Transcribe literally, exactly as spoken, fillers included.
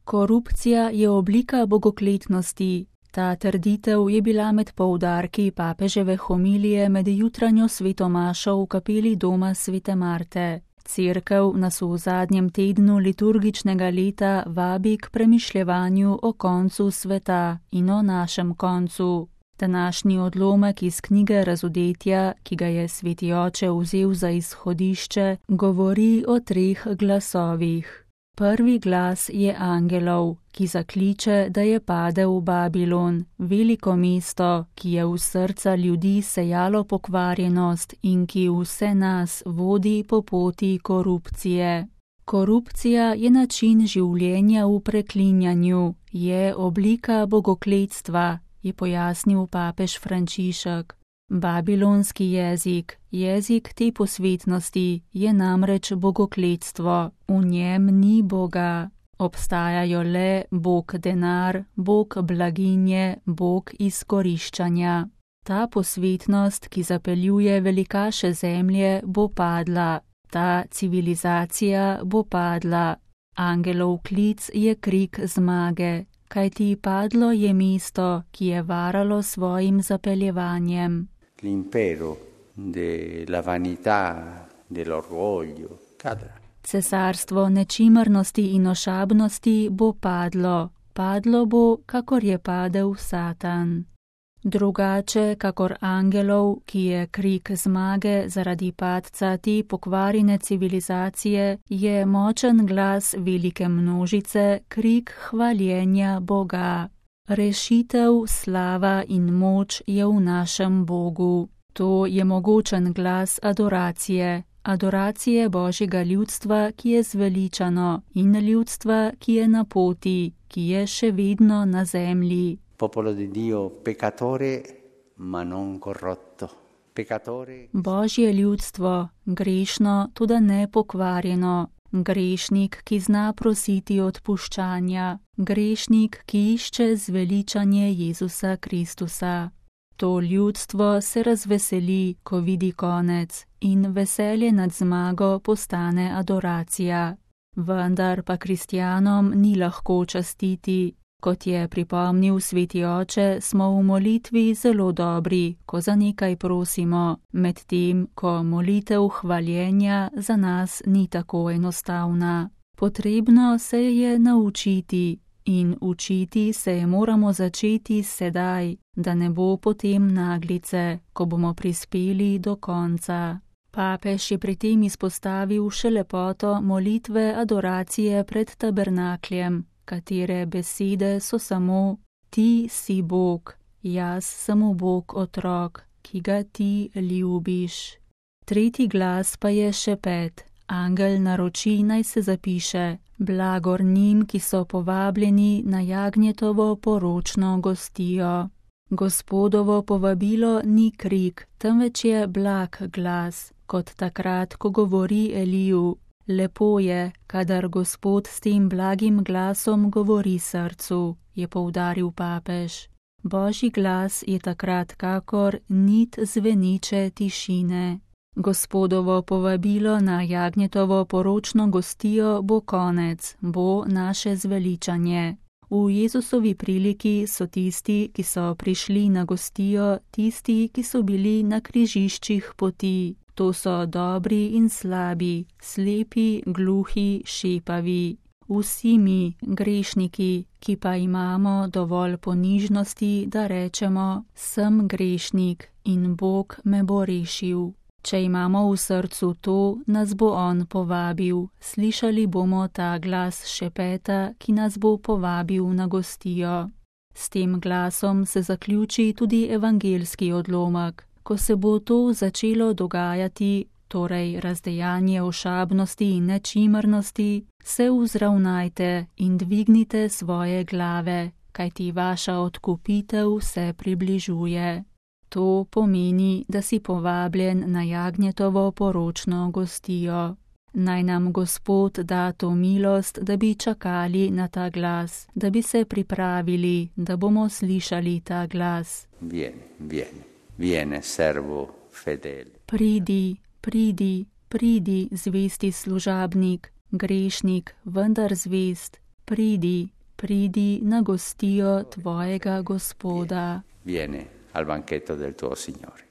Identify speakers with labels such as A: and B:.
A: Korupcija je oblika bogokletnosti. Ta trditev je bila med poudarki papeževe homilije med jutranjo svetomašo v kapeli doma svete Marte. Cerkev nas v zadnjem tednu liturgičnega leta vabi k premišljevanju o koncu sveta in o našem koncu. Današnji odlomek iz knjige Razodetja, ki ga je sveti oče vzel za izhodišče, govori o treh glasovih. Prvi glas je angelov, ki zakliče, da je padel Babilon, veliko mesto, ki je v srca ljudi sejalo pokvarjenost in ki vse nas vodi po poti korupcije. Korupcija je način življenja v preklinjanju, je oblika bogokletstva, je pojasnil papež Frančišek. Babilonski jezik, jezik te posvetnosti, je namreč bogokletstvo. V njem ni Boga. Obstajajo le Bog denar, Bog blaginje, Bog izkoriščanja. Ta posvetnost, ki zapeljuje velikaše zemlje, bo padla. Ta civilizacija bo padla. Angelov klic je krik zmage, kajti padlo je mesto, ki je varalo svojim zapeljevanjem.
B: L'impero della vanità, dell'orgoglio cadrà.
A: Cesarstvo nečimrnosti in ošabnosti bo padlo. Padlo bo, kakor je padel Satan. Drugače, kakor angelov, ki je krik zmage zaradi padca te pokvarjene civilizacije, je močen glas velike množice krik hvaljenja Boga. Rešitev, slava in moč je v našem Bogu. To je mogočen glas adoracije, adoracije Božjega ljudstva, ki je zveličano, in ljudstva, ki je na poti, ki je še vedno na zemlji.
B: Popolo di Dio peccatore, ma non corrotto. Peccatore.
A: Božje ljudstvo, grešno, tudi ne pokvarjeno. Grešnik, ki zna prositi odpuščanja. Grešnik, ki išče zveličanje Jezusa Kristusa. To ljudstvo se razveseli, ko vidi konec, in veselje nad zmago postane adoracija. Vendar pa kristjanom ni lahko častiti. Kot je pripomnil sveti oče, smo v molitvi zelo dobri, ko za nekaj prosimo, medtem ko molitev hvaljenja za nas ni tako enostavna. Potrebno se je naučiti in učiti se je moramo začeti sedaj, da ne bo potem naglice, ko bomo prispeli do konca. Papež je pri tem izpostavil še lepoto molitve adoracije pred tabernakljem, katere besede so samo: Ti si Bog, jaz sem Bog otrok, ki ga ti ljubiš. Tretji glas pa je šepet. Angel naroči, naj se zapiše: Blagor njim, ki so povabljeni na jagnjetovo poročno gostijo. Gospodovo povabilo ni krik, temveč je blag glas, kot takrat, ko govori Eliju. Lepo je, kadar Gospod s tem blagim glasom govori srcu, je poudaril papež. Božji glas je takrat kakor nit zveniče tišine. Gospodovo povabilo na jagnjetovo poročno gostijo bo konec, bo naše zveličanje. V Jezusovi priliki so tisti, ki so prišli na gostijo, tisti, ki so bili na križiščih poti. To so dobri in slabi, slepi, gluhi, šepavi. Vsi mi, grešniki, ki pa imamo dovolj ponižnosti, da rečemo: sem grešnik in Bog me bo rešil. Če imamo v srcu to, nas bo On povabil. Slišali bomo ta glas šepeta, ki nas bo povabil na gostijo. S tem glasom se zaključi tudi evangeljski odlomek. Ko se bo to začelo dogajati, torej razdejanje ošabnosti in nečimrnosti, se vzravnajte in dvignite svoje glave, kajti vaša odkupitev se približuje. To pomeni, da si povabljen na jagnjetovo poročno gostijo. Naj nam Gospod da to milost, da bi čakali na ta glas, da bi se pripravili, da bomo slišali ta glas.
B: Vieni, vieni. Viene, servo fedele.
A: Pridi, pridi, pridi, zvesti služabnik, grešnik, vendar zvest. Pridi, Pridi na gostijo tvojega Gospoda.
B: Vieni al banchetto del tuo Signore.